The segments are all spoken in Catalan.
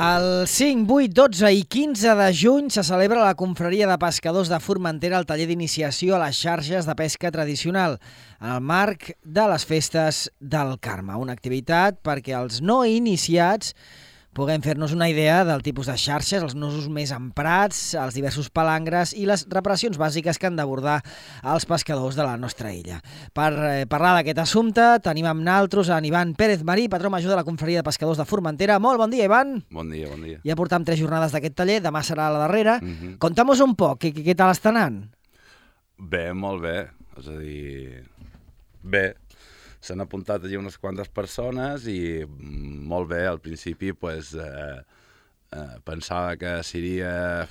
El 5, 8, 12 i 15 de juny se celebra la confraria de pescadors de Formentera al taller d'iniciació a les xarxes de pesca tradicional, en el marc de les festes del Carme. Una activitat perquè els no iniciats puguem fer-nos una idea del tipus de xarxes, els nusos més emprats, els diversos palangres i les reparacions bàsiques que han d'abordar els pescadors de la nostra illa. Per parlar d'aquest assumpte tenim amb naltros en Ivan Pérez Marí, patró major de la confraria de pescadors de Formentera. Molt bon dia, Ivan. Bon dia, bon dia. Ja portam 3 jornades d'aquest taller, demà serà la darrera. Conta'm un poc, què tal està anant? Bé, molt bé. És a dir, bé. S'han apuntat allí unes quantes persones i molt bé, al principi pues, pensava que seria,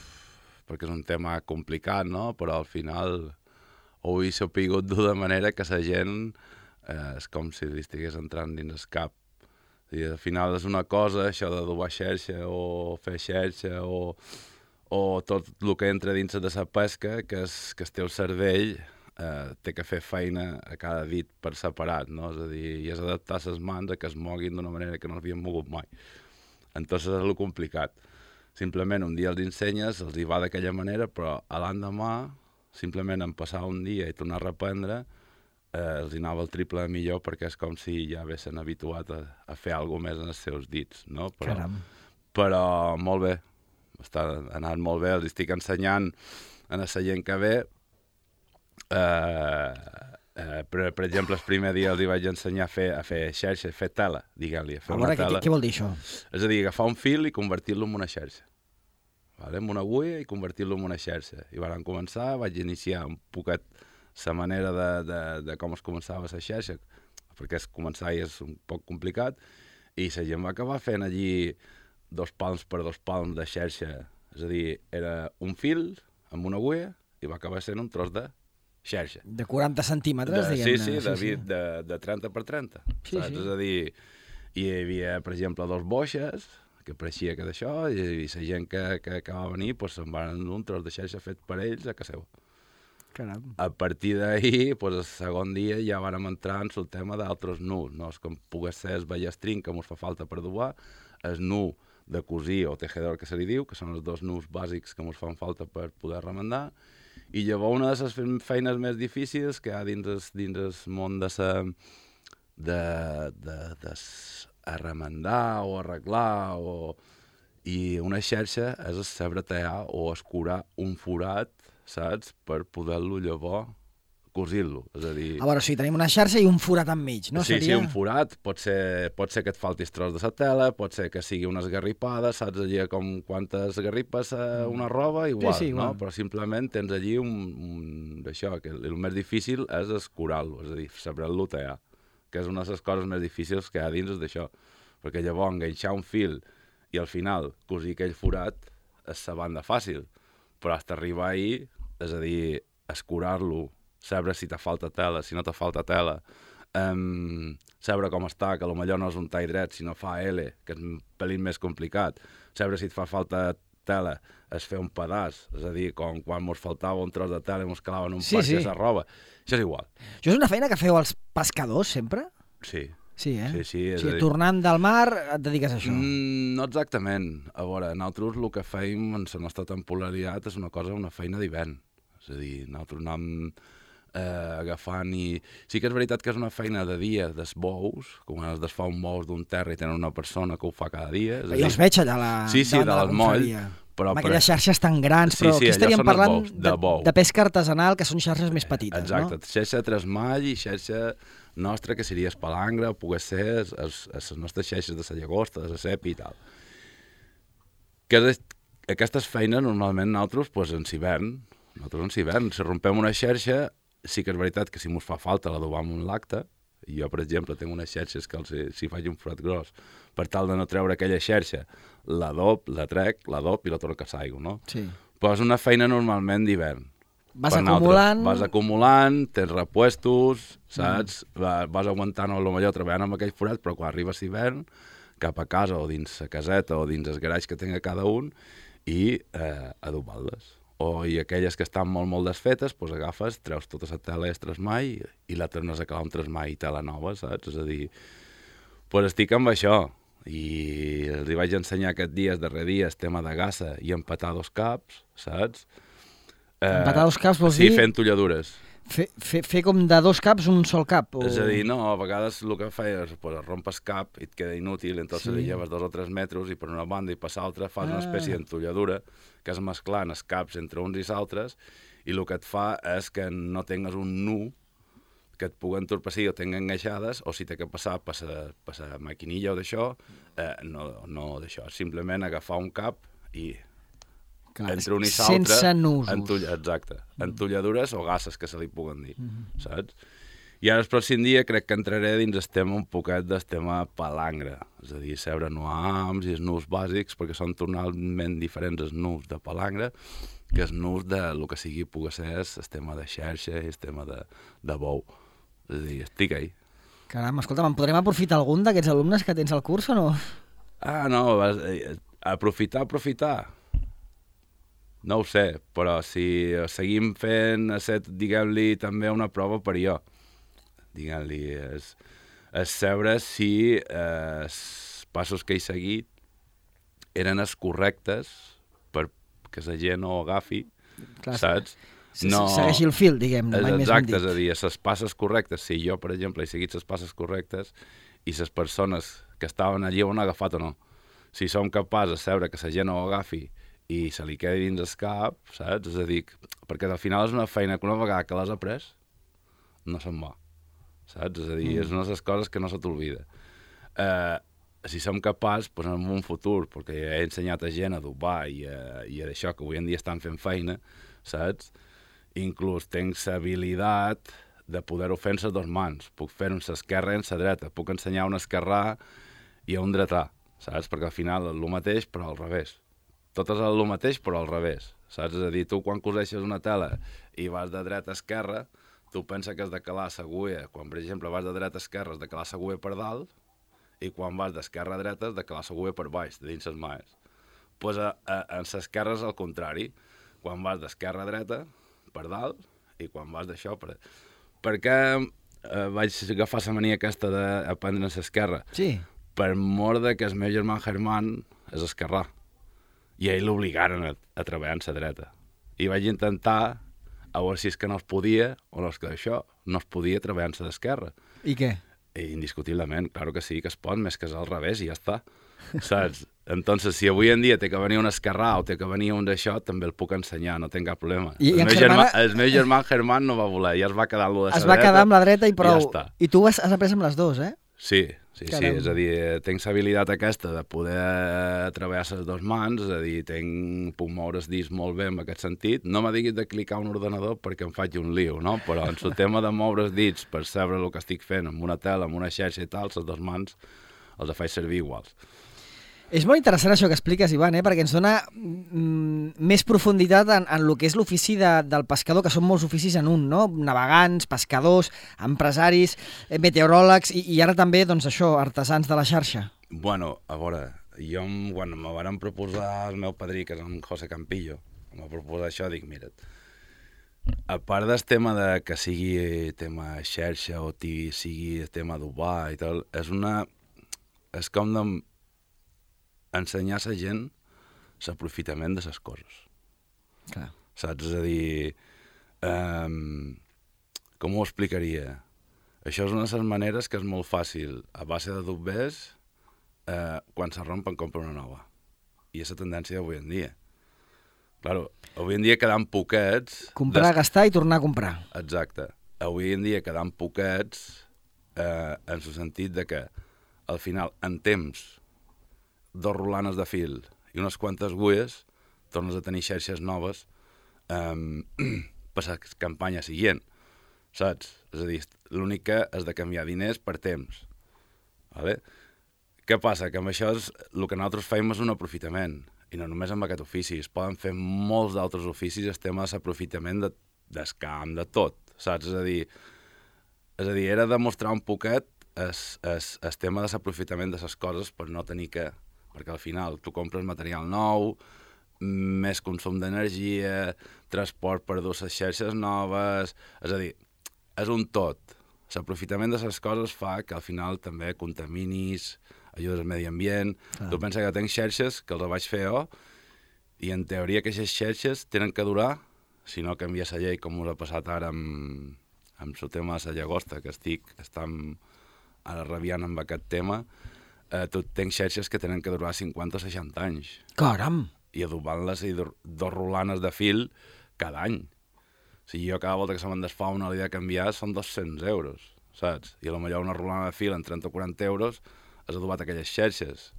perquè és un tema complicat, no? Però al final ho he sapigut dur de manera que la gent és com si li estigués entrant dins el cap. I al final és una cosa, això de dur xarxa o fer xarxa o tot el que entra dins de la pesca, que el teu cervell té que fer feina a cada dit per separat, no? És a dir, i és adaptar les mans a que es moguin d'una manera que no s'havien mogut mai. Entonces és el complicat. Simplement un dia els ensenyes, els hi va d'aquella manera, però a l'endemà, simplement en passar un dia i tornar a reprendre, els hi anava el triple millor perquè és com si ja haguessin habituat a fer alguna més en els seus dits, no? Però molt bé, està anant molt bé, els estic ensenyant a la gent que ve. Per exemple, el primer dia els vaig ensenyar a fer xarxa, a fer tela, diguem-li. A veure, què vol dir això? És a dir, agafar un fil i convertir-lo en una xarxa. Amb una agulla i convertir-lo en una xarxa. I van començar, vaig iniciar un poquet la manera de com es començava la xarxa, perquè començar és un poc complicat, i la gent va acabar fent allí 2 palms per 2 palms de xarxa. És a dir, era un fil amb una agulla i va acabar sent un tros de xarxa. De 40 centímetres, diguem-ne. Sí, de 30 per 30. Sí. És a dir, hi havia, per exemple, 2 boixes, que pareixia que d'això, i la gent que acabava venir se'n van un tros de xarxa fet per ells a casa seva. Caram. A partir d'ahir, el segon dia, ja vàrem entrar en el tema d'altres nus, no? Com pogués ser el ballestrin, que ens fa falta per dubar, el nu de cosir o tejedor, que se li diu, que són els 2 nus bàsics que ens fan falta per poder remendar. I llavors una de les feines més difícils que hi ha dins el món de remendar o arreglar i una xarxa és saber tallar o escurar un forat, saps? Per poder-lo llavors cosir-lo. És a dir... A veure, sí, tenim una xarxa i un forat enmig, no? Sí, un forat. Pot ser que et falti el tros de la tela, pot ser que sigui una esgarripada, saps allà com quantes esgarripes una roba, igual, sí, no? Però simplement tens allí d'això, que el més difícil és escurar-lo, és a dir, saber-lo tallar, que és una de les coses més difícils que hi ha dins d'això, perquè llavors enganxar un fil i al final cosir aquell forat és la banda fàcil, però fins a arribar ahir, és a dir, escurar-lo, saber si te falta tela, si no te falta tela, saber com està, que potser no és un tall dret, sinó fa L, que és un pelín més complicat, saber si et fa falta tela, és fer un pedaç, és a dir, quan ens faltava un tros de tela i ens calaven un parc de la roba. Això és igual. Això és una feina que feu els pescadors, sempre? Sí. Sí, eh? Sí, o sigui, tornant del mar et dediques a això? No exactament. A veure, nosaltres el que feim en la nostra temporalitat és una feina d'hivern. És a dir, nosaltres anem agafant i... Sí que és veritat que és una feina de dia dels bous, com es desfà un bous d'un terra i tenen una persona que ho fa cada dia. Jo els veig allà davant de la confraria. Amb aquelles xarxes tan grans, però aquí estaríem parlant de pesca artesanal, que són xarxes més petites, no? Exacte, xarxa tresmall i xarxa nostra, que seria espalangre, o pogués ser les nostres xarxes de la llagosta, de la cepi i tal. Aquestes feines normalment nosaltres en hivern, si rompem una xarxa, sí que és veritat que si ens fa falta l'adobam un lacte, i jo, per exemple, tinc unes xarxes que si faig un forat gros, per tal de no treure aquella xarxa, l'adob, la trec, l'adob i la torno a l'aigua, no? Sí. Però és una feina normalment d'hivern, Vas acumulant... Vas acumulant, tens repuestos, saps? Vas aguantant potser treballant amb aquells forats, però quan arribes hivern, cap a casa o dins la caseta o dins el garatge que tenga cada un i adobar-les. I aquelles que estan molt, molt desfetes, doncs agafes, treus tota la tela mai i la tornes a acabar amb tresmai i tela nova, saps? És a dir, doncs estic amb això. I els vaig ensenyar aquest dia, el darrer dia, el tema de gassa i empatar 2 caps, saps? Empatar 2 caps vols dir? Sí, fent tolladures. Fer com de 2 caps un sol cap? És a dir, no, a vegades el que feies, pues, rompes cap i et queda inútil, entonces li lleves 2 o 3 metres i per una banda i per l'altra fas una espècie d'entolladura que és mesclant els caps entre uns i altres i el que et fa és que no tingues un nu que et pugui entorpir o tinguin enganxades, o si t'ha que passar per la maquinilla o d'això, no d'això, simplement agafar un cap i entre un i l'altre... Sense nusos. Exacte, entolladures o gasses, que se li puguen dir, saps? I ara el pròxim dia crec que entraré dins el tema un poquet del tema palangre, és a dir, seure nuams i els nus bàsics, perquè són totalment diferents els nus de palangre que els nus de lo que sigui pugui ser el tema de xarxa i el tema de bou. És a dir, estic ahí. Caram, escolta, en podrem aprofitar algun d'aquests alumnes que tens al curs o no? No, aprofitar. No ho sé, però si seguim fent, diguem-li, també una prova per jo. Diguem-li, és saber si els passos que he seguit eren els correctes perquè la gent no ho agafi, saps? No... Segueixi el fil, diguem-ne, mai més ben dit. Exacte, és a dir, les passes correctes, si jo, per exemple, he seguit les passes correctes i les persones que estaven allí ho han agafat o no. Si som capaços de saber que la gent no ho agafi i se li quedi dins el cap, saps? És a dir, perquè al final és una feina que una vegada que l'has après, no se'n va, saps? És a dir, és una de les coses que no se t'olvida. Si som capaços, doncs en un futur, perquè he ensenyat a gent a adobar i a això, que avui en dia estan fent feina, saps? Inclús tinc l'habilitat de poder-ho fer amb les 2 mans. Puc fer-ho amb l'esquerra i amb la dreta. Puc ensenyar un esquerrà i un dretà, saps? Perquè al final és el mateix, però al revés. Tot és el mateix, però al revés, saps? És a dir, tu quan coseixes una tela i vas de dreta a esquerra, tu penses que has de calar l'agulla. Quan, per exemple, vas de dreta a esquerra has de calar l'agulla per dalt i quan vas d'esquerra a dreta has de calar l'agulla per baix, de dins les mans. Doncs en l'esquerra és el contrari. Quan vas d'esquerra a dreta, per dalt, i quan vas d'això... Per què vaig agafar la mania aquesta d'aprendre a l'esquerra? Sí. Per mort que el meu germà Germán és esquerrà. I a ell l'obligaren a treballar en la dreta. I vaig intentar, a veure si és que no es podia, o no és que això, no es podia treballar en la d'esquerra. I què? Indiscutiblement, claro que sí, que es pot, més que és al revés i ja està. Saps? Entonces, si avui en dia té que venir un esquerrà o té que venir un d'això, també el puc ensenyar, no tinc cap problema. El meu germà Germán no va voler, ja es va quedar amb la dreta. Es va quedar amb la dreta i prou. Ja està. I tu has après amb les 2, eh? Sí, és a dir, tinc l'habilitat aquesta de poder treballar les 2 mans, és a dir, puc moure els dits molt bé en aquest sentit. No me diguis de clicar un ordenador perquè em faig un lío, no? Però en el tema de moure els dits per saber el que estic fent amb una tela, amb una xarxa i tal, les 2 mans els faig servir iguals. És molt interessant això que expliques, Ivan, perquè ens dona més profunditat en el que és l'ofici del pescador, que són molts oficis en un, no? Navegants, pescadors, empresaris, meteoròlegs i ara també, doncs això, artesans de la xarxa. Bueno, a veure, jo quan me van proposar el meu padrí, que és en José Campillo, em va proposar això, dic, mira't, a part del tema de que sigui tema xarxa o sigui tema d'ubar i tal, és com ensenyar a la gent l'aprofitament de les coses. Clar. Saps? És a dir, com ho explicaria? Això és una de les maneres que és molt fàcil. A base de dobbers, quan se rompen, compra una nova. I és la tendència d'avui en dia. Claro, avui en dia quedant poquets... Comprar, gastar i tornar a comprar. Exacte. Avui en dia quedant poquets en el sentit de que, al final, en temps, 2 rolanes de fil i unes quantes agulles, tornes a tenir xarxes noves per la campanya següent, saps? És a dir, l'únic que és de canviar diners per temps. Vale? Què passa? Que amb això el que nosaltres fem és un aprofitament, i no només amb aquest ofici, es poden fer molts d'altres oficis, el tema de l'aprofitament d'escam, de tot, saps? És a dir, era demostrar un poquet el tema de l'aprofitament de les coses per no tenir que... Perquè al final tu compres material nou, més consum d'energia, transport per dur les xarxes noves... És a dir, és un tot. L'aprofitament de les coses fa que al final també contaminis, ajudes al medi ambient... Tu pensa que tinc xarxes que els vaig fer jo i en teoria que aquestes xarxes tenen que durar, si no canvia la llei com us ha passat ara amb el tema de la llagosta, que estem ara rabiant amb aquest tema, tenc xarxes que tenen que durar 50 o 60 anys. Caram! I adobant-les i dos rolanes de fil cada any. O sigui, jo cada volta que se me'n desfà una l'he de canviar són 200 euros, saps? I potser una rolana de fil en 30 o 40 euros has adobat aquelles xarxes.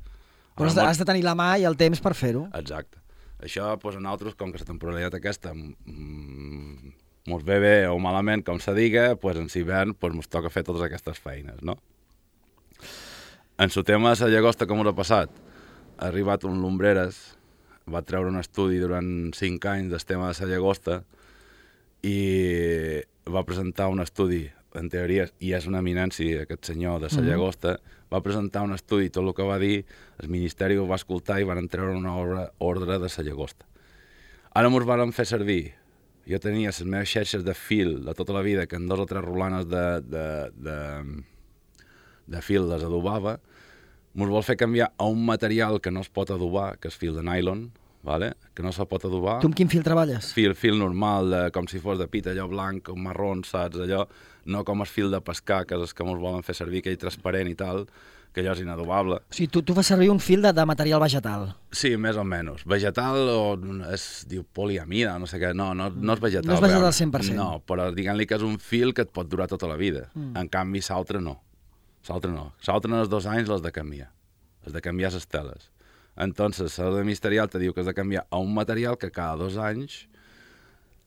Però has de tenir la mà i el temps per fer-ho. Exacte. Això, doncs, a nosaltres, com que la temporalitat aquesta mos ve bé o malament, com se diga, doncs en l'hivern mos toca fer totes aquestes feines, no? En el tema de la llagosta, com us ha passat? Ha arribat un Lumbreras, va treure un estudi durant 5 anys del tema de la llagosta i va presentar un estudi, en teoria, i és una eminència aquest senyor de la llagosta, va presentar un estudi, tot el que va dir, el Ministeri ho va escoltar i van treure una ordre de la llagosta. Ara mos van fer servir. Jo tenia les meves xarxes de fil de tota la vida, que en 2 o 3 rolanes de fil les adobava, mos vol fer canviar a un material que no es pot adobar, que és fil de nylon, vale? Que no se pot adobar. Tu amb quin fil treballes? Fil normal, com si fos de pita, allò blanc, marró, saps? Allò, no com el fil de pescar, que és el que mos volen fer servir, aquell transparent i tal, que allò és inadobable. O sigui, tu fas servir un fil de material vegetal. Sí, més o menys. Vegetal o es diu poliamida, no sé què. No és vegetal. No és vegetal al 100%. No, però diguem-li que és un fil que et pot durar tota la vida. En canvi, l'altre no. L'altre no. L'altre en els 2 anys l'has de canviar. Has de canviar les teles. Entonces, l'ordre ministerial te diu que has de canviar a un material que cada 2 anys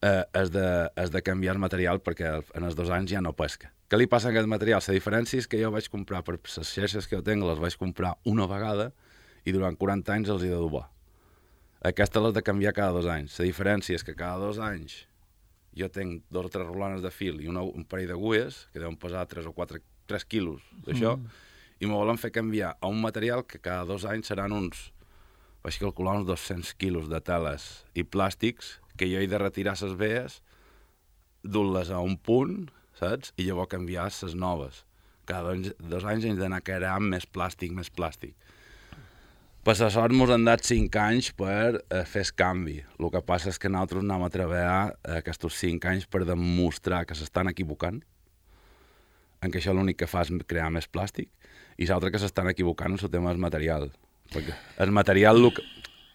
has de canviar el material perquè en els 2 anys ja no pesca. Què li passa a aquest material? La diferència és que jo vaig comprar, per les xarxes que jo tinc, les vaig comprar una vegada i durant 40 anys els he d'adobar. Aquestes les de canviar cada 2 anys. La diferència és que cada 2 anys jo tinc 2 o 3 rolanes de fil i un parell d'agulles, que deuen pesar 3 o 4, 3 quilos d'això, i me volen fer canviar a un material que cada 2 anys seran vaig calcular uns 200 quilos de teles i plàstics que jo he de retirar les veies, dur-les a un punt, saps? I llavors canviar les noves. Cada 2 anys hem d'anar creant més plàstic. Per la sort mos han dat 5 anys per fer el canvi. El que passa és que nosaltres anem a treballar aquests 5 anys per demostrar que s'estan equivocant, en què això l'únic que fa és crear més plàstic, i l'altre que s'estan equivocant en el tema del material. Perquè el material,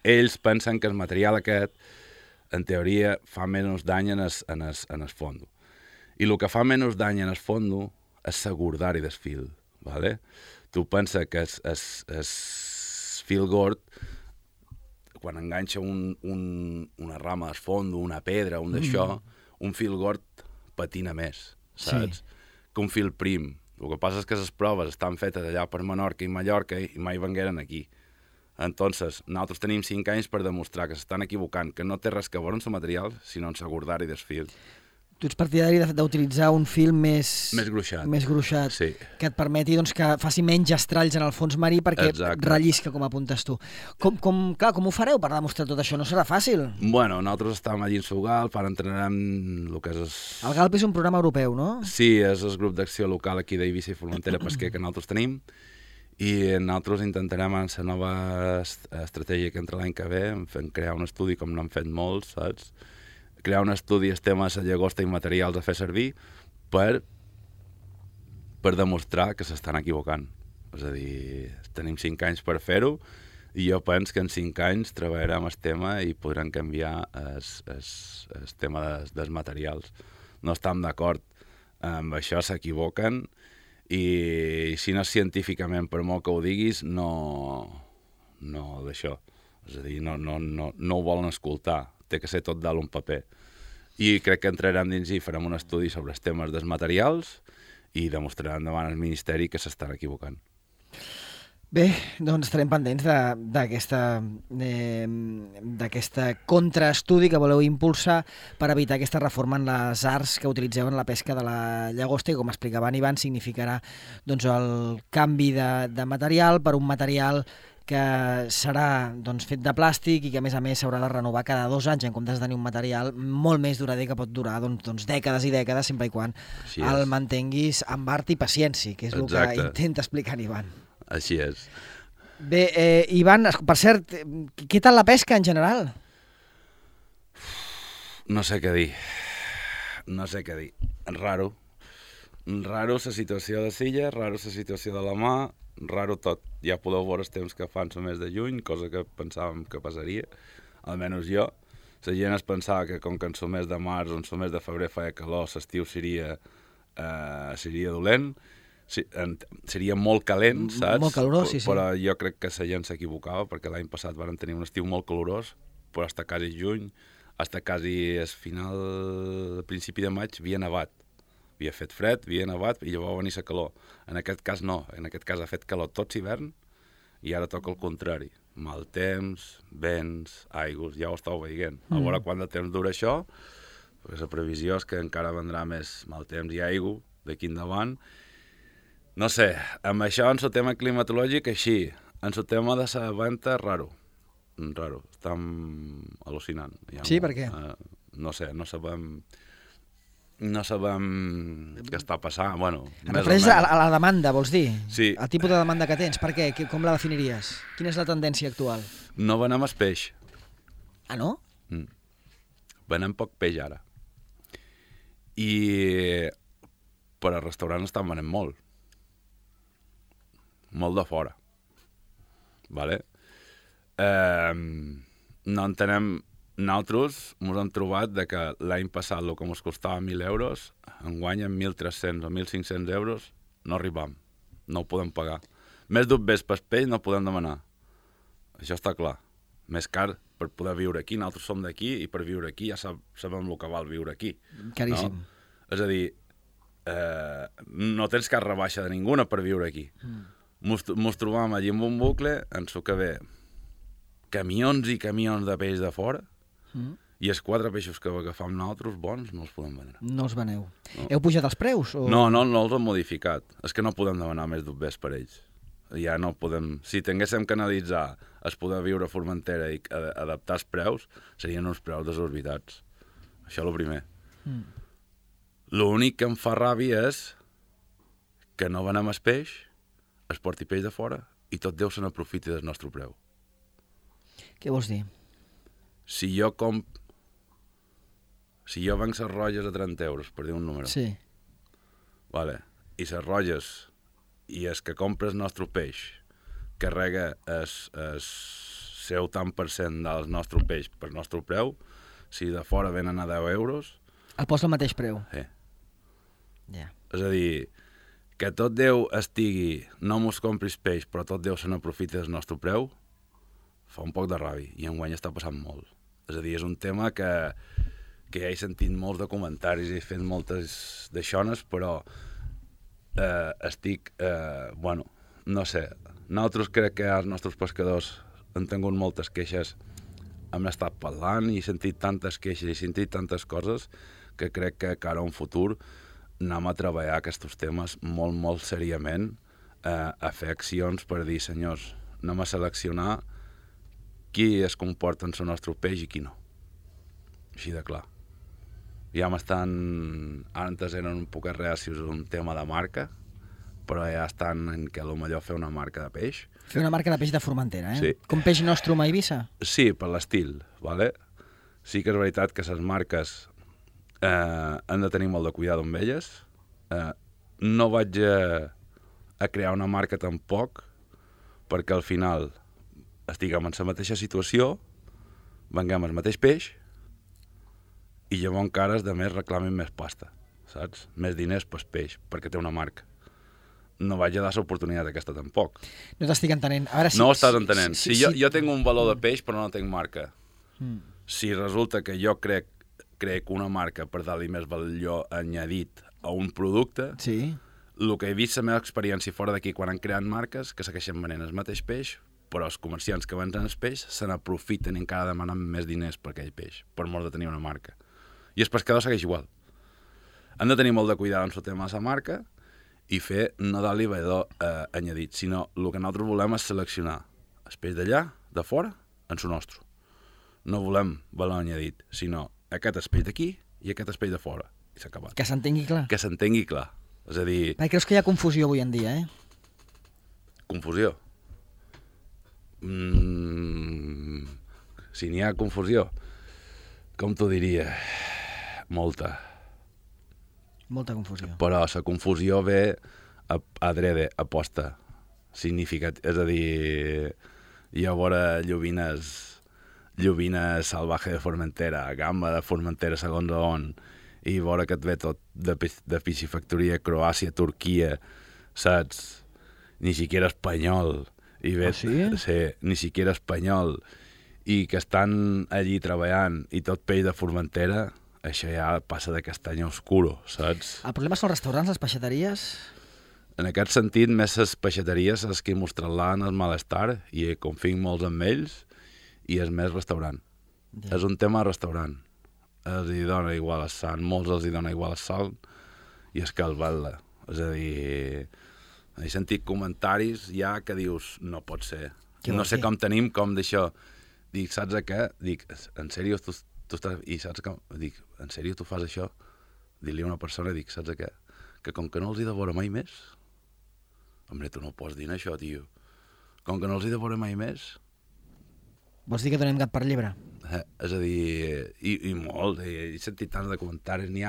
ells pensen que el material aquest, en teoria, fa menys dany en el fondo. I el que fa menys dany en el fondo és segurdar-hi del fil. ¿Vale? Tu pensa que el fil gord, quan enganxa una rama al fondo, una pedra, un d'això, un fil gord patina més, saps? Sí. Que un fil prim. El que passa és que les proves estan fetes allà per Menorca i Mallorca i mai vengueren aquí. Entonces, nosaltres tenim 5 anys per demostrar que s'estan equivocant, que no té res que veure amb el material, sinó en segurdar-hi del fil. Tu ets partidari d'utilitzar un fil més gruixat, sí, que et permeti que faci menys estralls en el fons marí perquè rellisca, com apuntes tu. Com ho fareu per demostrar tot això? No serà fàcil? Bueno, nosaltres estem allí en Galp, ara entrenarem el que és... El Galp és un programa europeu, no? Sí, és el grup d'acció local aquí d'Eivissa i Formentera Pesquer que nosaltres tenim, i nosaltres intentarem en la nova estratègia que entra l'any que ve, crear un estudi com n'han fet molts, saps? Crear un estudi el tema de la llagosta i materials a fer servir per demostrar que s'estan equivocant. És a dir, tenim 5 anys per fer-ho i jo penso que en 5 anys treballarem el tema i podrem canviar el tema dels materials. No estem d'acord amb això, s'equivoquen i si no és científicament, per molt que ho diguis, no d'això. És a dir, no ho volen escoltar. Té que ser tot dalt un paper. I crec que entrarem dins i farem un estudi sobre els temes dels materials i demostrarem davant el Ministeri que s'estan equivocant. Bé, doncs estarem pendents d'aquesta contraestudi que voleu impulsar per evitar aquesta reforma en les arts que utilitzeu en la pesca de la llagosta i, com explicava en Ivan, significarà doncs, el canvi de material per un material que serà doncs, fet de plàstic i que, a més s'haurà de renovar cada 2 anys en comptes de tenir un material molt més durader que pot durar doncs, dècades i dècades, sempre i quan el mantenguis amb art i paciència, que és el que intenta explicar en Ivan. Així és. Bé, Ivan, per cert, què tal la pesca en general? No sé què dir. Raro. Raro la situació de Silla, raro la situació de la mà, raro tot. Ja podeu veure els temps que fan el mes de juny, cosa que pensàvem que passaria, almenys jo. La gent es pensava que com que en el mes de març o en el mes de febrer feia calor, l'estiu seria dolent, seria molt calent, saps? Molt calorós, sí. Però jo crec que la gent s'equivocava, perquè l'any passat van tenir un estiu molt calorós, però fins quasi juny, fins quasi al principi de maig, havia nevat. Havia fet fred, havia nevat, i llavors va venir la calor. En aquest cas no, en aquest cas ha fet calor tot l'hivern, i ara toca el contrari. Mal temps, vents, aigües, ja ho estàu veient. A veure quant de temps dura això, perquè la previsió és que encara vendrà més mal temps i aigua d'aquí endavant. No sé, amb això, en el tema climatològic, així. En el tema de la venta, raro. Estem al·lucinant. Sí, per què? No sé, no sabem què està passant. Bueno, refereix a la demanda, vols dir? Sí. El tipus de demanda que tens, per què? Com la definiries? Quina és la tendència actual? No venem el peix. Ah, no? Venem poc peix ara. I per al restaurant estan venent molt. Molt de fora. Vale? No entenem. Nosaltres ens hem trobat que l'any passat el que ens costava 1.000 euros, enguany amb 1.300 o 1.500 euros no arribam. No ho podem pagar. Més d'un ves per peix no podem demanar. Això està clar. Més car per poder viure aquí. Nosaltres som d'aquí i per viure aquí ja sabem el que val viure aquí. Caríssim. No? És a dir, no tens cap rebaixa de ninguna per viure aquí. Mos trobam allí en un bucle en el que ve camions i camions de peix de fora i els 4 peixos que agafam nosaltres bons no els podem vendre. No els veneu. No. Heu pujat els preus? O... No els hem modificat. És que no podem demanar més d'un ves per ells. Ja no podem... Si tinguéssim que analitzar es poder viure a Formentera i adaptar els preus, serien uns preus desorbitats. Això és el primer. L'únic que em fa ràbia és que no venem el peix, es porti peix de fora i tot Déu se n'aprofiti del nostre preu. Què vols dir? Si jo venc les rotlles a 30 euros, per dir un número, sí. Vale. I les rotlles i el que compra el nostre peix carrega el seu tant per cent del nostre peix per nostre preu, si de fora venen a 10 euros... El posa al mateix preu. Sí. Yeah. És a dir, que tot Déu estigui, no mos compris peix, però tot Déu se n'aprofita del nostre preu, fa un poc de ràbia, i enguany està passant molt. És a dir, és un tema que ja he sentit molts de comentaris i he fet moltes d'aixones, però no sé, nosaltres crec que els nostres pescadors han tingut moltes queixes, hem estat parlant i he sentit tantes queixes i he sentit tantes coses que crec que cara a un futur anem a treballar aquests temes molt, molt seriament, a fer accions per dir, senyors, anem a seleccionar qui es comporta en el nostre peix i qui no. Així de clar. Ja m'estan... Antes eren un poc reacis un tema de marca, però ja estan en què potser fer una marca de peix. Fer una marca de peix de Formentera, Sí. Com Peix Nostrum a Eivissa? Sí, per l'estil, ¿vale? Sí que és veritat que les marques han de tenir molt de cuidado amb elles. No vaig a crear una marca tampoc, perquè al final estiguem en la mateixa situació, venguem el mateix peix, i llavors encara els altres reclamen més pasta, saps? Més diners pel peix, perquè té una marca. No vaig a dar l'oportunitat aquesta tampoc. No t'estic entenent. A veure, no ho estàs entenent. Jo tinc un valor de peix, però no tinc marca. Si resulta que jo crec una marca per dar-li més valor añadit a un producte, sí. el que he vist la meva experiència fora d'aquí quan han creat marques que segueixen venent el mateix peix, però els comerciants que venen el peix se n'aprofiten i encara demanen més diners per aquell peix, per mort de tenir una marca. I el pescador segueix igual. Han de tenir molt de cuidado en el tema de la marca i fer no dar-li valor añadit, sinó el que nosaltres volem és seleccionar el peix d'allà, de fora, en el nostre. No volem valor añadit, sinó aquest és peix d'aquí i aquest és peix de fora. I s'ha acabat. Que s'entengui clar. Que s'entengui clar. És a dir... Perquè creus que hi ha confusió avui en dia, Confusió? Si n'hi ha confusió, com t'ho diria? Molta. Molta confusió. Però la confusió ve adrede, aposta, significat. És a dir, hi ha vora llobina salvaje de Formentera, gamba de Formentera segons on, i vora que et ve tot de piscifactoria, Croàcia, Turquia, saps? Ni siquiera espanyol. I ve, sí? Sí, ni siquiera espanyol. I que estan allí treballant i tot peix de Formentera, això ja passa de castany oscuro, saps? El problema són els restaurants, les peixateries? En aquest sentit, més les peixateries és que mostren-la en el malestar i confio molts amb ells i és més restaurant. Ja. És un tema de restaurant. Els hi dona igual el sant, molts els hi dona igual el sol i és que el vel·la. És a dir, he sentit comentaris ja que dius, no pot ser. No sé com tenim, com d'això. Dic, saps què? Dic, en sèrio, tu estàs... I saps com? Dic, en sèrio, tu fas això? Dir-li a una persona, dic, saps què? Que com que no els hi devora mai més... Hombre, tu no pots dir això, tio. Com que no els hi devora mai més... Vols dir que donem gat per llebre? És a dir, i molt, he sentit tants de comentaris, n'hi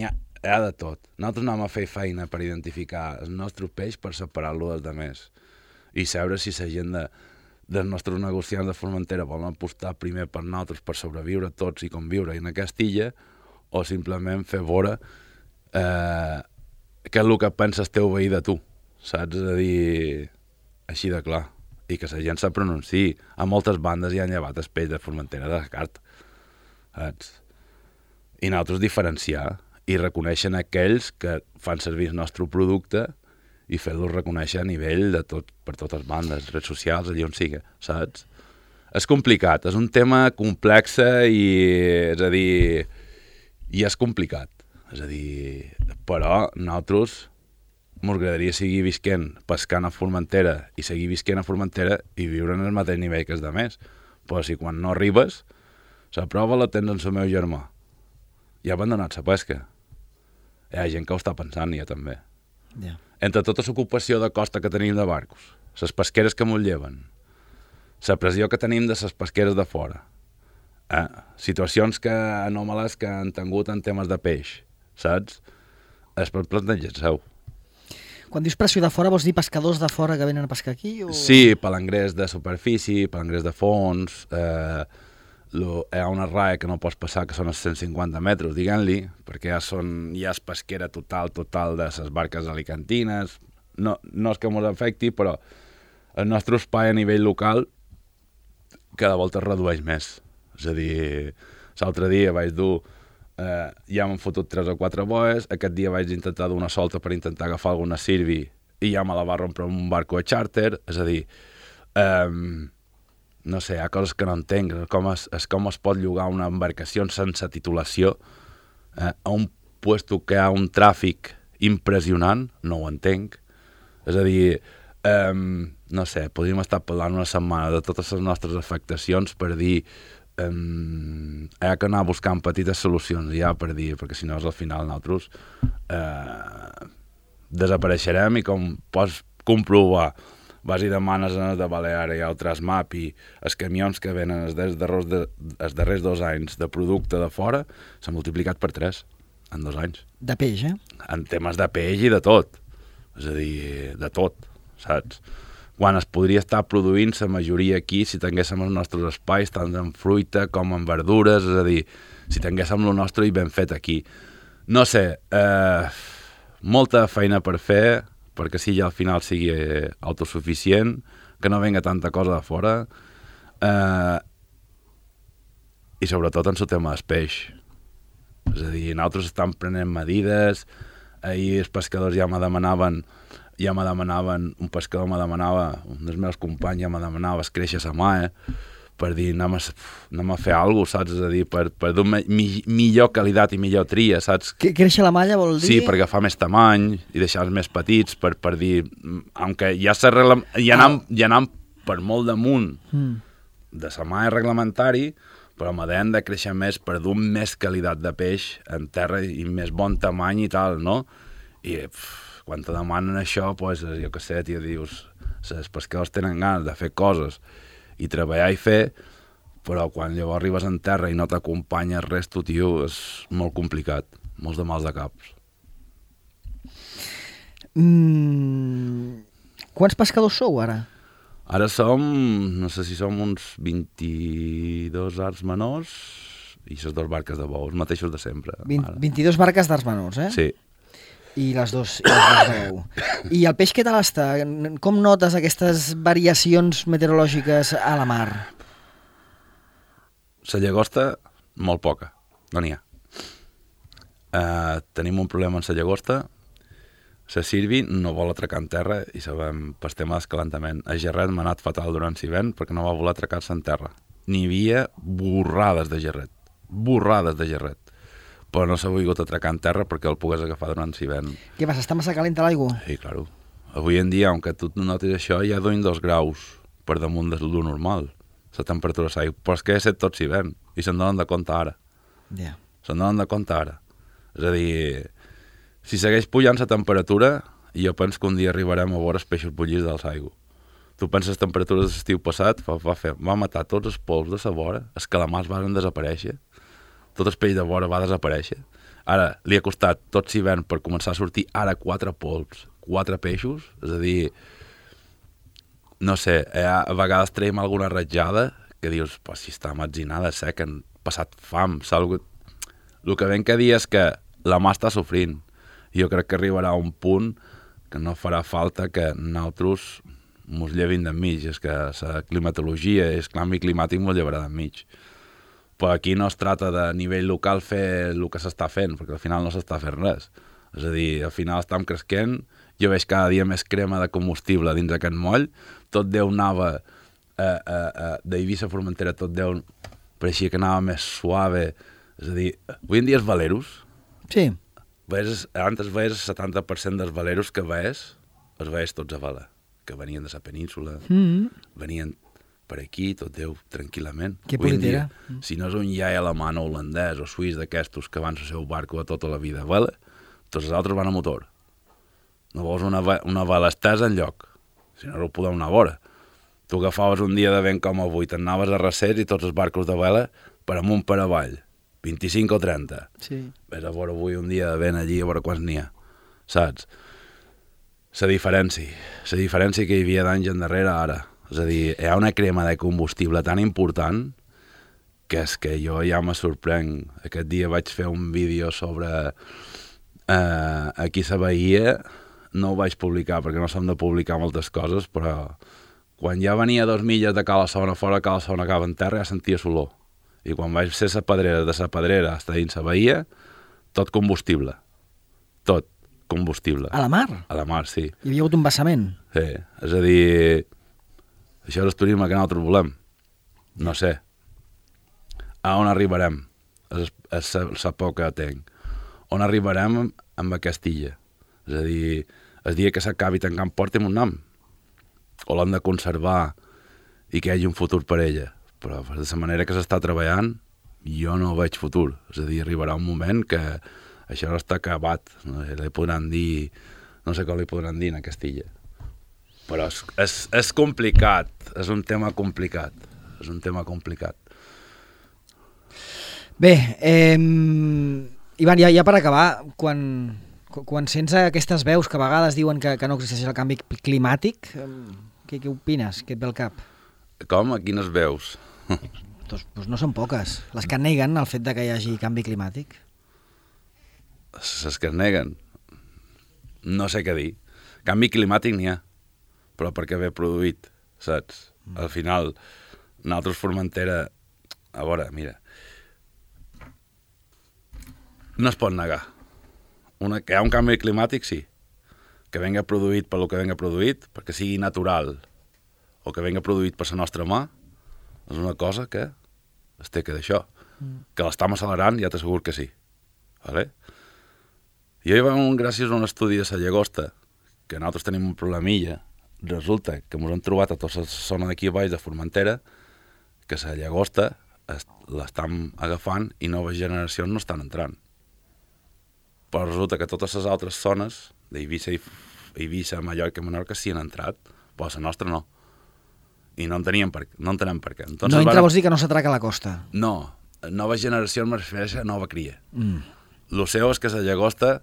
ha de tot. Nosaltres anem a fer feina per identificar el nostre peix per separar-lo dels altres. I saber si la gent dels nostres negociants de Formentera volen apostar primer per nosaltres per sobreviure tots i conviure en aquesta illa o simplement fer veure què és el que pensa el teu veí de tu, saps? És a dir, així de clar. I que la gent se pronunciï. A moltes bandes hi han llevat el peix de Formentera de carta, saps? I nosaltres diferenciar i reconeixen aquells que fan servir el nostre producte i fer-los reconèixer a nivell de tot, per totes bandes, redes socials, allà on sigui, saps? És complicat, és un tema complex i, és a dir, i és complicat. És a dir, però nosaltres m'agradaria seguir visquent, pescant a Formentera i seguir visquent a Formentera i viure en el mateix nivell que els altres. Però si quan no arribes, la prova la tens en el meu germà. Ja ha abandonat la pesca. Hi ha gent que ho està pensant, ja també. Yeah. Entre tota l'ocupació de costa que tenim de barcos, les pesqueres que m'ho lleven, la pressió que tenim de les pesqueres de fora, situacions anòmales que han tingut en temes de peix, saps? És per plantejar-se-ho. Quan dius pressió de fora, vols dir pescadors de fora que venen a pescar aquí? O... Sí, palangrers de superfície, palangrers de fons, hi ha una raia que no pots passar, que són els 150 metres, diguem-li, perquè ja és pesquera total de les barques alicantines. No és que ens afecti, però el nostre espai a nivell local cada volta es redueix més. És a dir, l'altre dia vaig dur... ja m'han fotut 3 o 4 boes, aquest dia vaig intentar dur una solta per intentar agafar alguna sirvi i ja me la va rompre un barco de xàrter, és a dir, no sé, hi ha coses que no entenc, com es pot llogar una embarcació sense titulació a un puesto que hi ha un tràfic impressionant, no ho entenc, és a dir, no sé, podríem estar parlant una setmana de totes les nostres afectacions per dir hi ha que anar buscant petites solucions ja per dir, perquè si no al final nosaltres desapareixerem i com pots comprovar vas i demanes en el de Balear i altres MAP i els camions que venen els darrers 2 anys de producte de fora s'han multiplicat per 3 en 2 anys. De peix, En temes de peix i de tot. És a dir, de tot, saps? Quan es podria estar produint la majoria aquí si tinguéssim els nostres espais, tant en fruita com en verdures, és a dir, si tinguéssim el nostre i ben fet aquí. No sé, molta feina per fer, perquè si ja al final sigui autosuficient, que no venga tanta cosa de fora, i sobretot en el tema del peix. És a dir, nosaltres estem prenent medides, ahir els pescadors ja me demanaven, un pescador me demanava, un dels meus companys ja me demanava créixer la mà, per dir, anem a fer alguna cosa, saps? És a dir, per donar millor qualitat i millor tria, saps? Créixer la malla vol dir? Sí, per agafar més tamany i deixar-los més petits, per dir, aunque ja anam per molt damunt de la mà reglamentari, però m'han de créixer més per donar més qualitat de peix en terra i més bon tamany i tal, no? I quan te demanen això, doncs, jo què sé, tio, dius, els pescadors tenen ganes de fer coses i treballar i fer, però quan llavors arribes en terra i no t'acompanya res, tu, tio, és molt complicat, molts de mals de caps. Quants pescadors sou ara? Ara som, no sé si som uns 22 arts menors i les 2 barques de bou, els mateixos de sempre. 22 barques d'arts menors, eh? Sí. I les dos de bou. I el peix què tal està? Com notes aquestes variacions meteorològiques a la mar? La llagosta, molt poca, no n'hi ha. Tenim un problema amb la llagosta. La sirvi no vol atracar en terra i sabem per tema d'escalantament. El gerret m'ha anat fatal durant l'hivern perquè no va voler atracar-se en terra. N'hi havia borrades de gerret. Però no s'ha volgut atracar en terra perquè el pogués agafar durant l'hivern. Què passa, està massa calenta l'aigua? Sí, clar. Avui en dia, aunque tu notis això, hi ha 2 graus per damunt de lo normal, la temperatura de l'aigua. Però és que he set tot l'hivern i se'n donen de compte ara. Ja. Se'n donen de compte ara. És a dir, si segueix pujant la temperatura, jo penso que un dia arribarem a veure els peixos bullits de l'aigua. Tu penses les temperatures de l'estiu passat, va matar tots els pols de la vora, els calamars van desaparèixer, tot el peix de vora va desaparèixer. Ara, li ha costat tot l'hivern per començar a sortir ara 4 pols, 4 peixos, és a dir, no sé, a vegades traiem alguna ratjada que dius, pues, si està metzinada, que han passat fam, el que ben que dir és que la mà està sofrint. Jo crec que arribarà a un punt que no farà falta que nosaltres mos llevin d'enmig, és que la climatologia i el canvi climàtic mos llevarà d'enmig. Però aquí no es tracta de nivell local fer el que s'està fent, perquè al final no s'està fent res. És a dir, al final estem cresquent, jo veig cada dia més crema de combustible dins aquest moll, tot Déu anava d'Eivissa a Formentera, tot Déu pareixia que anava més suave. És a dir, avui en dia els valeros, sí. Antes veies el 70% dels valeros que veies, els veies tots a vela, que venien de la península, venien per aquí, tot Déu, tranquil·lament. Que politera. Si no és un iai alemany o holandès o suís d'aquestos que van al seu barco de tota la vida a vela, tots els altres van a motor. No vols una vela estesa enlloc, si no ho podeu anar a vora. Tu agafaves un dia de vent com avui, t'anaves a Recers i tots els barcos de vela per amunt per avall, 25 o 30. Sí. Ves a veure avui un dia de vent allí a veure quants n'hi ha, saps? La diferència que hi havia d'anys endarrere ara. És a dir, hi ha una crema de combustible tan important que és que jo ja me sorprenc. Aquest dia vaig fer un vídeo sobre aquí a la Bahia, no ho vaig publicar perquè no som de publicar moltes coses, però quan ja venia 2 milles de Cala Sona fora, Cala Sona acaba en terra, ja sentia l'olor. I quan vaig ser la pedrera, de la pedrera fins dins la Bahia, tot combustible. Tot combustible. A la mar? A la mar, sí. Hi havia hagut un vessament? Sí, és a dir, això és el turisme que nosaltres volem. No sé. A on arribarem? És la por que tinc. On arribarem amb aquesta illa? És a dir, el dia que s'acabi tancant porta amb un nom. O l'hem de conservar i que hi hagi un futur per ella. Però de la manera que s'està treballant, jo no veig futur. És a dir, arribarà un moment que això no està acabat. No sé, li podran dir... No sé com li podran dir en aquesta illa. Però és complicat. És un tema complicat. Bé, Ivan, ja per acabar, quan sents aquestes veus que a vegades diuen que no existeix el canvi climàtic, què opines? Què et ve al cap? Com? A quines veus? Doncs no són poques. Les que neguen el fet de que hi hagi canvi climàtic. Les que es neguen? No sé què dir. Canvi climàtic n'hi ha, però perquè ve produït, saps? Al final, nosaltres Formentera... A veure, mira... No es pot negar. que hi ha un canvi climàtic, sí. Que venga produït per lo que venga produït, perquè sigui natural, o que venga produït per la nostra mà, és una cosa que es té que d'això. Que l'estam accelerant, ja t'assegur que sí. Vale? Jo hi va gràcies a un estudi de la llagosta, que nosaltres tenim un problemilla, resulta que ens hem trobat a tota la zona d'aquí a baix de Formentera, que la llagosta l'estan agafant i noves generacions no estan entrant. Però resulta que totes les altres zones d'Eivissa, Mallorca i Menorca sí han entrat, però la nostra no. I no entenem per què. Entonces, no entra vols dir que no s'atraca a la costa? No, noves generacions me refereix a nova cria. Lo seu és que la llagosta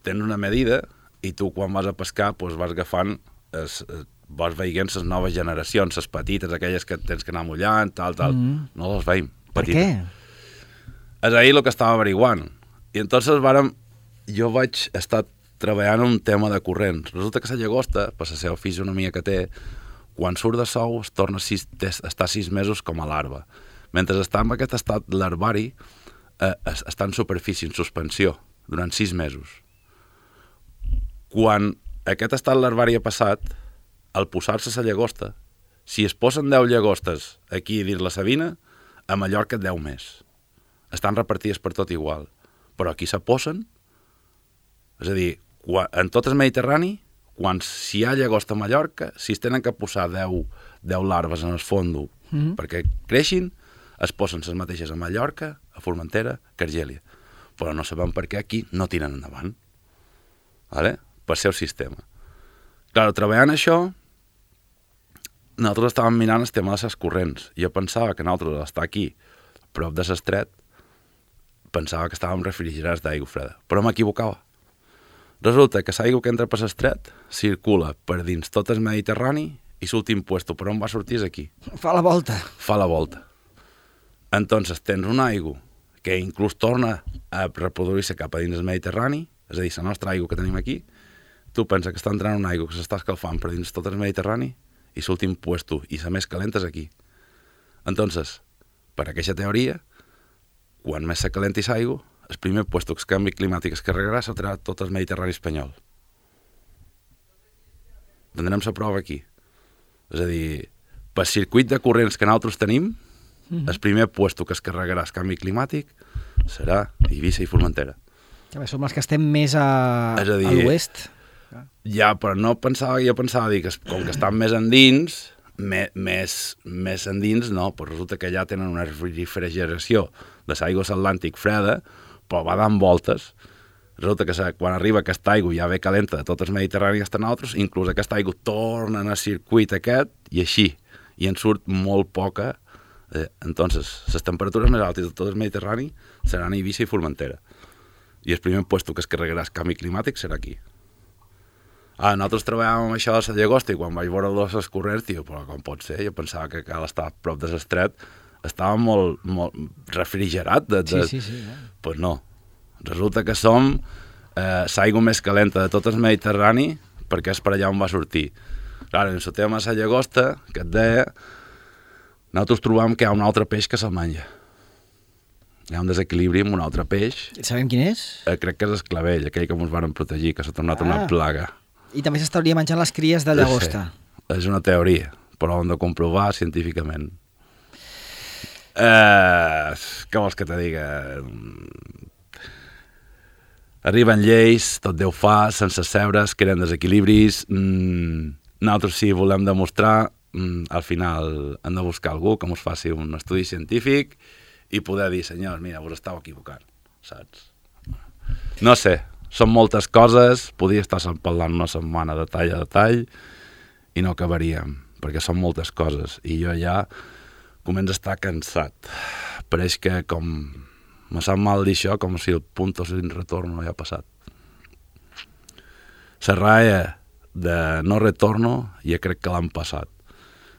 tens una medida i tu quan vas a pescar doncs vas agafant, vas veient les noves generacions, les petites, aquelles que tens que anar mullant, tal, no les veiem. Per què? És ahir el que estava averiguant. I entonces jo vaig estar treballant un tema de corrents. Resulta que la llagosta, per la seva fisionomia que té, quan surt de sou es torna a estar 6 mesos com a larva. Mentre està en aquest estat larvari, està en superfície, en suspensió, durant 6 mesos. Quan aquest estat larvari ha passat, al posar-se la llagosta, si es posen 10 llagostes aquí dins la Sabina, a Mallorca 10 més. Estan repartides per tot igual. Però aquí se posen, és a dir, en tot el Mediterrani, si hi ha llagosta a Mallorca, si es tenen que posar 10 larves en el fondo perquè creixin, es posen les mateixes a Mallorca, a Formentera, que a Argèlia. Però no sabem per què aquí no tiren endavant. Vale? Per ser el sistema. Clar, treballant això, nosaltres estàvem mirant el tema de les corrents. Jo pensava que nosaltres, estar aquí, prop de l'estret, pensava que estàvem refrigerats d'aigua freda. Però m'equivocava. Resulta que l'aigua que entra per l'estret circula per dins tot el Mediterrani i l'últim puesto per on va sortir és aquí. Fa la volta. Fa la volta. Entonces tens una aigua que inclús torna a reproduir-se cap a dins el Mediterrani, és a dir, la nostra aigua que tenim aquí, tu pensa que està entrant una aigua que s'està escalfant per dins tot el Mediterrani i l'últim puesto, i la més calenta és aquí. Entonces, per aquesta teoria, quan més se calenti l'aigua, el primer puesto que el canvi climàtic es carregarà serà tot el Mediterrani espanyol. Tindrem la prova aquí. És a dir, pel circuit de corrents que nosaltres tenim, el primer puesto que es carregarà el canvi climàtic serà Eivissa i Formentera. Som els que estem més a l'oest. Ja, però no pensava, jo pensava dir que com que estan més endins, més endins no, però resulta que allà tenen una refrigeració de l'aigua atlàntic freda, però va dant voltes. Resulta que quan arriba aquesta aigua ja ve calenta de tot el Mediterrani que estan altres, inclús aquesta aigua torna en el circuit aquest i així, i en surt molt poca. Entonces, les temperatures més altes de tot el Mediterrani seran a Eivissa i Formentera. I el primer puesto que es carregarà el canvi climàtic serà aquí. Nosaltres treballàvem amb això de la llagosta i quan vaig veure els corrents, dic, però com pot ser? Jo pensava que cal estar a prop de l'estret estava molt refrigerat. Sí. Pues no. Resulta que som l'aigua més calenta de tot el Mediterrani perquè és per allà on va sortir. Clar, en el tema de la llagosta, que et deia, nosaltres trobam que hi ha un altre peix que se'l menja. Hi ha un desequilibri amb un altre peix. Sabem quin és? Crec que és el clavell, aquell que ens varen protegir, que s'ha tornat una plaga. I també s'estaria menjant les cries de llagosta. Sí, és una teoria, però ho hem de comprovar científicament. Què vols que te diga? Arriben lleis, tot Déu fa, sense sebres, creen desequilibris. Nosaltres, si volem demostrar, al final hem de buscar algú que ens faci un estudi científic i poder dir, senyors, mira, us estàu equivocant, saps? No sé, són moltes coses, podria estar parlant una setmana de tall a detall i no acabaríem, perquè són moltes coses i jo ja començo a estar cansat. Pareix que com me sap mal dir això, com si el punto sin retorno ja ha passat. La raya de no retorno ja crec que l'han passat.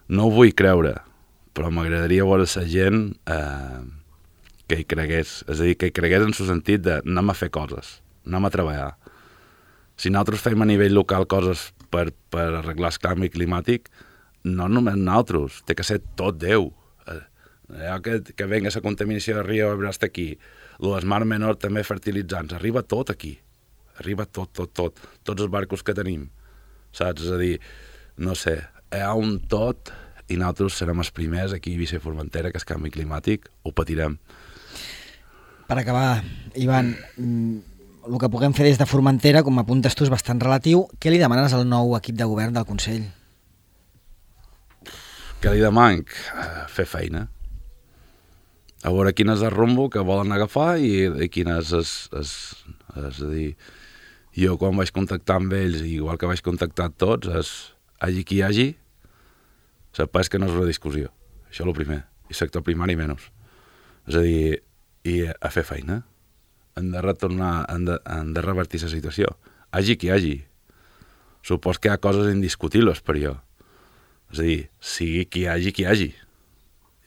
No ho vull creure, però m'agradaria veure la gent que hi cregués, és a dir, que hi cregués en el sentit de anem a fer coses, anem a treballar. Si nosaltres fem a nivell local coses per arreglar el canvi climàtic, no només nosaltres, té que ser tot Déu. Que venga la contaminació de Rio Ebre hasta aquí, el Mar Menor també fertilitzants, arriba tot aquí. arriba tot, tots els barcos que tenim, saps? És a dir, no sé, hi ha un tot i nosaltres serem els primers aquí a Eivissa i Formentera, que és canvi climàtic, ho patirem. Per acabar, Ivan, el que puguem fer des de Formentera, com apuntes tu, és bastant relatiu. Què li demanes al nou equip de govern del Consell? Què li demanc? Fer feina. A veure quin és el rumbo que volen agafar i quin és a dir, jo quan vaig contactar amb ells, igual que vaig contactar tots, és hagi qui hagi, saps que no és una discussió. Això és el primer. I sector primari menys. És a dir, i a fer feina. Han de retornar, han de revertir la situació. Hagi qui hagi. Supos que hi ha coses indiscutibles per jo. És a dir, sigui qui hagi.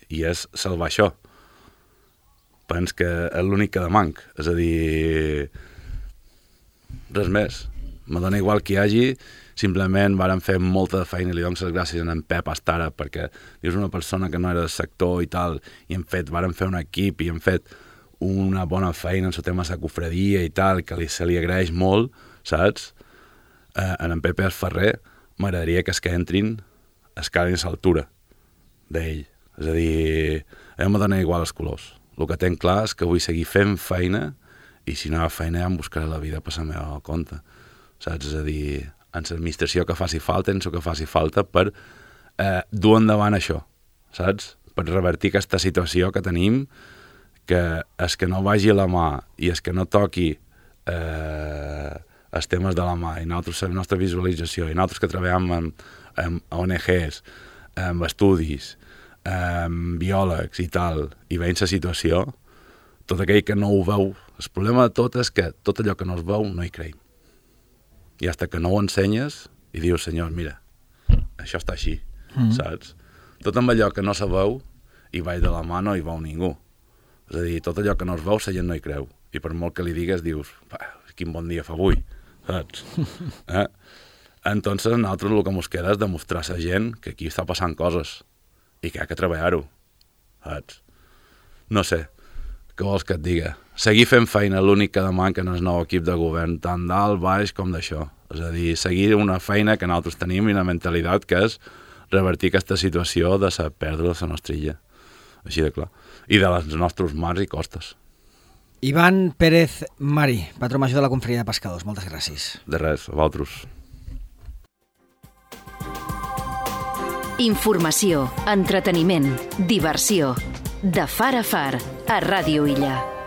I és salvar això. Pens que és l'únic que demanc. És a dir, res més. Me dona igual qui hagi, simplement varen fer molta de feina i li dono les gràcies a en Pep Astara perquè dius una persona que no era del sector i tal, i varen fer un equip i hem fet una bona feina en el tema de la cofradia i tal, que se li agraeix molt, saps? En Pepe Ferrer m'agradaria que es que entrin escalen a l'altura d'ell. És a dir, a mi me dona igual els colors. El que tenc clar és que vull seguir fent feina i si no hi ha feina ja em buscaré la vida per la meva compte. Saps? És a dir, en l'administració que faci falta, en el que faci falta per dur endavant això, saps? Per revertir aquesta situació que tenim, que és que no vagi a la mà i és que no toqui els temes de la mà i nosaltres la nostra visualització i nosaltres que treballem amb ONGs, amb estudis, amb biòlegs i tal, i veient la situació, tot aquell que no ho veu, el problema de tot és que tot allò que no es veu no hi creiem. I fins que no ho ensenyes i dius, senyor, mira, això està així, saps? Tot amb allò que no se veu i vaig de la mà no hi veu ningú. És a dir, tot allò que no es veu, la gent no hi creu. I per molt que li digues, dius, quin bon dia fa avui, saps? Entonces, nosaltres el que ens queda és demostrar a la gent que aquí està passant coses i que hi ha que treballar-ho, saps? No sé, què vols que et diga? Seguir fent feina, l'únic que demanca en el nou equip de govern, tant dalt, baix com d'això. És a dir, seguir una feina que nosaltres tenim i una mentalitat que és revertir aquesta situació de la pèrdua de la nostra illa. Així de clar. I de les nostres mars i costes. Ivan Pérez Mari, patró major de la Confraria de Pescadors. Moltes gràcies. De res, a vosaltres. Informació, entreteniment, diversió. De far a far, a Ràdio Illa.